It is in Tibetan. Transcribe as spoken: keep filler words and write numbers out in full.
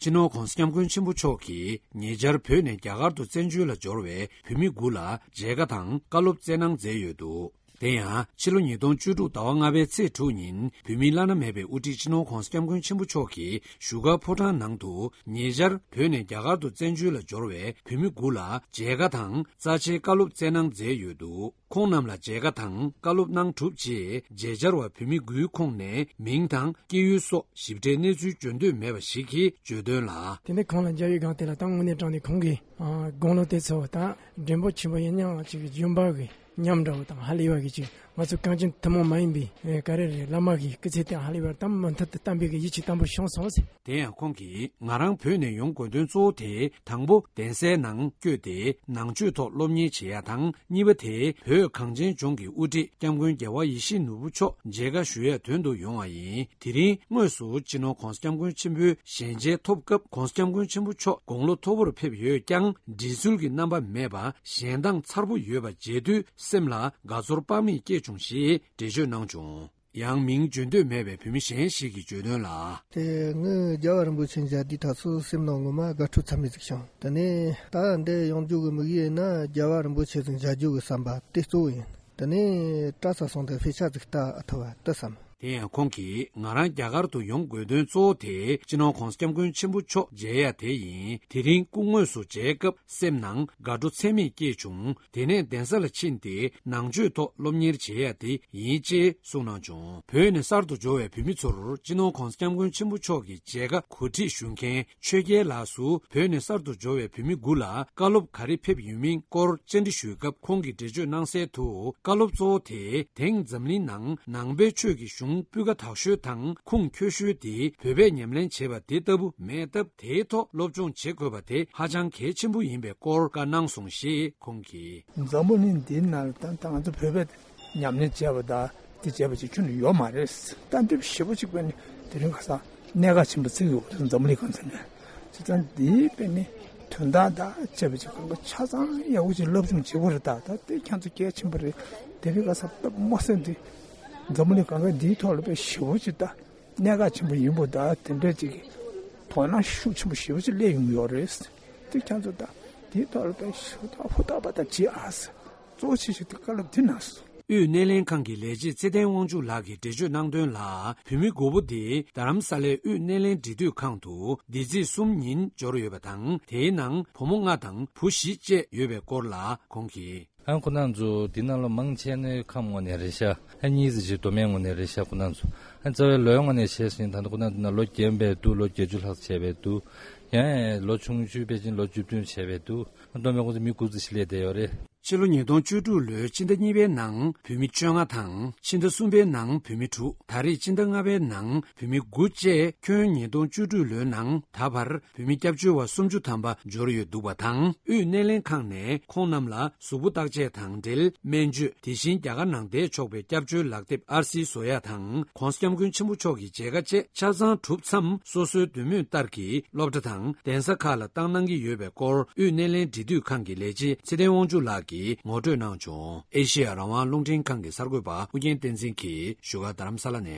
སྤྱི་ནོར་༧གོང་ས་༧སྐྱབས་མགོན་ཆེན་པོ་མཆོག་གིས་ཉེ་ཆར་བོད་ནས་རྒྱ་གར་དུ་བཙན་བྱོལ་ལ་འབྱོར་བའི་བོད་མི་དགུ་ལ་མཇལ་ཁ་དང་བཀའ་སློབ་སྩལ་གནང་མཛད་ཡོད་འདུག་དེ་ཡང་ཕྱི་ལོ་ཉིས་སྟོང་བཅུ་དྲུག་ཟླ་བ་ལྔ་པའི་ཚེས་དྲུག་ཉིན་བོད་མིའི་བླ་ན་མེད་པའི་དབུ་ཁྲིད་སྤྱི་ནོར་༧གོང་ས་༧སྐྱབས་མགོན་ཆེན་པོ་མཆོག་གིས་བཞུགས་སྒར་ཕོ་བྲང་ནང་དུ་ཉེ་ཆར་བོད་ནས་རྒྱ་གར་དུ་བཙན་བྱོལ་ལ་འབྱོར་བའི་བོད་མི་དགུ་ལ་མཇལ་ཁ་དང་རྩ་ཆེའི་བཀའ་སློབ་སྩལ་གནང་མཛད་ཡོད་འདུག་ཁོང་རྣམས་ལ་མཇལ་ཁ་དང་བཀའ་སློབ་གནང་གྲུབ་རྗེས་མཇལ་བཅར་བ་བོད་མི་དགུའི་ཁོངས་ནས་མིང་དང་སྐྱེས་ཡུལ་སོགས་ཞིབ་ཕྲའི་གནས་ཚུལ་བརྗོད་འདོད་མེད་པ་ཞིག་གིས་བརྗོད་དོན་ལ། དེ་ནས་ཁོང་ལ་མཇལ་བའི་སྒང་དེ་ལ་ད་དངོས་གནས་དྲང་གནས་ཁོང་གིས་ཨ་དགུང་ལོ་དེ་ཚོ་ད་འགྲན་པོ་ཆེན་པོ་ཡིན་མཉམ་ཅིག་ཡོན་པ་གི་མཉམ་འདྲ་བོ་དང་ཧ་ལས་པ་གི་ཅིག་ང་ཚོ་གངས་ཅན་ཐུན་མོང་མ་ཡིན་པའི་ཨེ་ག་རེ་རེད། བླ་མ་གི་སྐུ་ཚེ་དེ་ཧ་ལས་པར་ད་མུ་མཐུད་དུ་བརྟན་པའི་གི་ཡིད་ཆེས་དམ་པོ་བྱུང་སོང་ཟེར། དེ་ཡང་ཁོང་གིས་ང་རང་བོད་ནས་ཡོང་དགོས་དོན་གཙོ་བོ་དེ་དང་པོ་གདན་སའི་ནང་བསྐྱོད་དེ་ནང་ཆོས་ཐོག་སློབ་གཉེར་བྱེད་ཡ་དང་། གཉིས་པ་དེ་བོད་གངས་ཅན་ལྗོངས་ཀྱི་དབུ་ཁྲིད་སྐྱབས་མགོན་རྒྱལ་བ་ཡིད་བཞིན་ནོར་བུ་མཆོག་མཇལ་ཁ་ཞུ་ཡ་དོན་དུ་ཡོང་བ་ཡིན། དེ་རིང་དངོས་སུ་སྤྱི་ནོར་༧གོང་ས་༧སྐྱབས་མགོན་ཆེན་པོའི་ཞལ་མཇལ་ཐོབ་སྐབས་༧གོང་ས་༧སྐྱབས་མགོན་ཆེན་པོ་མཆོག་དགུང་ལོ་མཐོ་པོར་ཕེབས་ཡོད་ཀྱང་འདྲི་ཚུལ་གྱི་རྣམ་པ་མེད་པ་ཞལ་མདངས་མཚར་པོ་ཡོད་པ་མཇལ་དུས་སེམས་ལ་དགའ་ཚོར་དཔག་མེད་སྐྱེས་བྱུང་ཞེས་འགྲེལ་བརྗོད་གནང་བྱུང་། ཡང་མིང་བརྗོད་འདོད་མེད་པའི་བོད་མི་གཞན་ཞིག་གིས་བརྗོད་དོན་ལ། དེ་ངས་རྒྱལ་བ་རིན་པོ་ཆེ་མཇལ་དུས་ད་གཟོད་སེམས་ནང་ངོ་མ་དགའ་སྤྲོ་ཚ་མེད་ཅིག་བྱུང་། དེ་ནས་ད་འདི་ཡོང་རྒྱུ་གི་དམིགས་ཡུལ་ཡིན་ན་རྒྱལ་བ་རིན་པོ་ཆེ་ཟིག་མཇལ་རྒྱུ་གི་བསམ་པ་དེ་གཙོ་བོ་ཡིན། དེ་ནས་གྲྭ་ས་སོང་དེ་ཕེ་ཆ་ཟིག་ལྟ་ཨ་ཐུབ་བ་དེ་བསམ། དེ་ཡང་ཁོང་གིས་ང་རང་རྒྱ་གར་དུ་ཡོང་དགོས་དོན་གཙོ་བོ་དེ་སྤྱི་ནོར་༧གོང་ས་༧སྐྱབས་མགོན་ཆེན་པོ་མཆོག་མཇལ་ཡ་དེ་ཡིན། དེ་རིང་སྐུ་དངོས་སུ་མཇལ་སྐབས་སེམས་ནང་དགའ་སྤྲོ་ཚད་མེད་སྐྱེས་བྱུང་། དེ་ནས་གདན་ས་ལ་ཕྱིན་ཏེ་ནང་ཆོས་ཐོག་སློབ་གཉེར་བྱེད་ཡ་དེ་ཡིན་ཅེས་གསུངས་གནང་བྱུང་། བོད་ནས་གསར་དུ་འབྱོར་བའི་བོད་མི་ཚོར་སྤྱི་ནོར་༧གོང་ས་༧སྐྱབས་མགོན་ཆེན་པོ་མཆོག་གི་མཇལ་ཁ་གོ་སྒྲིག་ཞུ་མཁན་ཆོས་རྒྱལ་ལགས་སུ་བོད་ནས་གསར་དུ་འབྱོར་བའི་བོད་མི་དགུ་ལ་བཀའ་སློབ་ག་རེ་ཕེབས་ཡོད་མིན་སྐོར་བཅར་འདྲི་ཞུས་སྐབས་ཁོང་གིས་འགྲེལ་བརྗོད་གནང་གསལ་དུ། བཀའ་སློབ་གཙོ་བོ་དེ་དེང་འཛམ་གླིང་ནང་ནང་པའི་ཆོས་ཀྱི་གཞུང་སྤུས་ཀ་དག་ཤོས་དང་ཁུངས་འཁྱོལ་ཤོས་དེ་བོད་པས་ཉམས་ལེན་བྱེད་པ་དེ་ལྟ་བུ་མེད་སྟབས། དེའི་ཐོག་སློབ་སྦྱོང་བྱེད་དགོས་པ་དེ་ཧ་ཅང་གལ་ཆེན་པོ་ཡིན་པའི་སྐོར་བཀའ་གནང་སོང་ཞེས་ཁོང་གིས། འཛམ་བུ་གླིང་འདིའི་ནང་ལ་ད་ད་ང་ཚོ་བོད་པས་ཉམས་ལེན་བྱས་པ་དང་དེ་བྱས་པ་ཅིག་ཁྱོན་ནས་ཡོད་མ་རེད། ད་འདི་ཞེ་པོ་ཅིག་པས་ནི་དེ་རིང་ཁ་སང་གནད་འགག་ཆེན་པོ་བརྩི་གི་ཡོད་འཛམ་བུ་གླིང་གང་ས་ནས། བྱས་ཙང་འདིའི་པས་ནི་དོན་དག་དང་བཅས་པ་ཅིག་ཁོང་གི་ཆ་ཚང་ཡག་པོ་ཅིག་སློབ་སྦྱོང་བྱེད་དགོས་རེད། ད་ད་དེ་ཁྱེད་ཚོ་གལ་ཆེན་པོ་རེད། དེ་རིང་ཁ་སང་སྟབས་མ་སེང་དེ་འཛམ་བུ་གླིང་གང་ག་འདིའི་ཐོག་ལ་དཔེ་ཞེ་པོ་ཅིག་ད་གནད་འགག་ཆེན་པོ་ཡིན་པོ་ད་དེ་འདྲ་ཅིག་གི་དོ་སྣང་ཤུགས་ཆེན་པོ་ཞེ་པོ་ཅིག་སླེབས་ཡོང་གི་ཡོད་རེད། དེ་ཁྱེད་ཚོ་ད་དེའི་ཐོག་ལ་དཔེ་ཞེ་པོ་ད་ཧུར་ཐག་པ་ད་བྱེད་ཨ་ཟེར། གཙོ་ཆེ་ཤོས་དེ་བཀའ་སློབ་དེ་གནང་སོང་། དབུས་སྣེ་ལེན་ཁང་གི་ལས་བྱེད་ཚེ་བརྟན་དབང་ཕྱུག་ལགས་ཀྱིས་འགྲེལ་བརྗོད་གནང་དོན་ལ། བོད་མི་དགུ་པོ་དེ་རྡ་རམ་ས་ལའི་དབུས་སྣེ་ལེན་འབྲེལ་མཐུད་ཁང་དུ་འདི་ཚེས་གསུམ་ཉིན་འབྱོར་ཡོད་པ་དང་། དེའི་ནང་བུ་མོ་ལྔ་དང་བུ་བཞི་བཅས་ཡོད་པའི་སྐོར་ལ་ཁོང་གིས། ཨ་ཁོ་རང་ཚོ་འདི་ནང་ལོ་མང་ཆེ་ནི་ཁམས་ངོས་ནས་རེད་ཤག་ཨ་གཉིས་ཙམ་ཞིག་མདོ་སྨད་ངོས་ནས་རེད་ཤག་ཁོ་རང་ཚོ་ཨ་རྩ་བའི་ལོའི་ངོས་ནས་བཤད་ཟིན་ད་ལྟ་ཁོ་རང་ཚོ་ན་ལོ་རྒན་པའི་འདུག་ལོ་བརྒྱད་ཅུ་ལྷག་བྱས་པའི་འདུག་ཡང་ལོ་ཆུང་ཆུང་ཕལ་ཆེར་ལོ་བཅུ་བདུན་བྱས་པའི་འདུག་མདོ་སྨད་ཁོ་ཚོ་མི་དགུ་ཙམ་ཞིག་སླེབས་བསྡད་ཡོད་རེད། ཕྱི་ལོ་ཉིས་སྟོང་བཅུ་དྲུག་ལོའི་ཕྱི་ཟླ་གཉིས་པའི་ནང་བོད་མི་བཅོ་ལྔ་དང་ཕྱི་ཟླ་གསུམ་པའི་ནང་བོད་མི་དྲུག་ད་རེས་ཕྱི་ཟླ་ལྔ་པའི་ནང་བོད་མི་དགུ་བཅས་ཁྱོན་ཉིས་སྟོང་བཅུ་དྲུག་ལོའི་ནང་ད་བར་བོད་མི་སྐྱབས་བཅོལ་བ་སུམ་ཅུ་ཐམ་པ་འབྱོར་ཡོད་འདུག་པ་དང་། དབུས་སྣེ་ལེན་ཁང་ནས་ཁོང་རྣམས་ལ་གཟུགས་པོ་བརྟག་དཔྱད་དང་འབྲེལ་སྨན་བཅོས། དེ་བཞིན་རྒྱ་གར་ནང་བསྡད་ཆོག་པའི་སྐྱབས་བཅོལ་ལག་དེབ་ཨར་སི་བཟོ་ཡ་དང་། ྋགོང་ས་ྋསྐྱབས་མགོན་ཆེན་པོ་མཆོག་གི་མཇལ་ཁ་བཅས་ཆ་ཚང་གྲུབ་མཚམས། སོ་སོའི་འདོད་མོས་ལྟར་གྱི་སློབ་གྲྭ་དང་གདན་ས་ཁག་ལ་བཏང་གནང་གི་ཡོད་པའི་སྐོར། དབུས་སྣེ་ལེན་འབྲེལ་མཐུད་ཁང་གི་ལས་བྱེད་ཚེ་བརྟན་དབང་ཕྱུག་ལགས་ཀྱིས་ངོ་སྤྲོད་གནང་བྱུང་། ཨེ་ཤེ་ཡ་རང་དབང་རླུང་འཕྲིན་ཁང་གི་གསར་འགོད་པ་ཨུ་རྒྱན་བསྟན་འཛིན་གྱིས་བཞུགས་སྒར་རྡ་རམ་ས་ལ་ནས།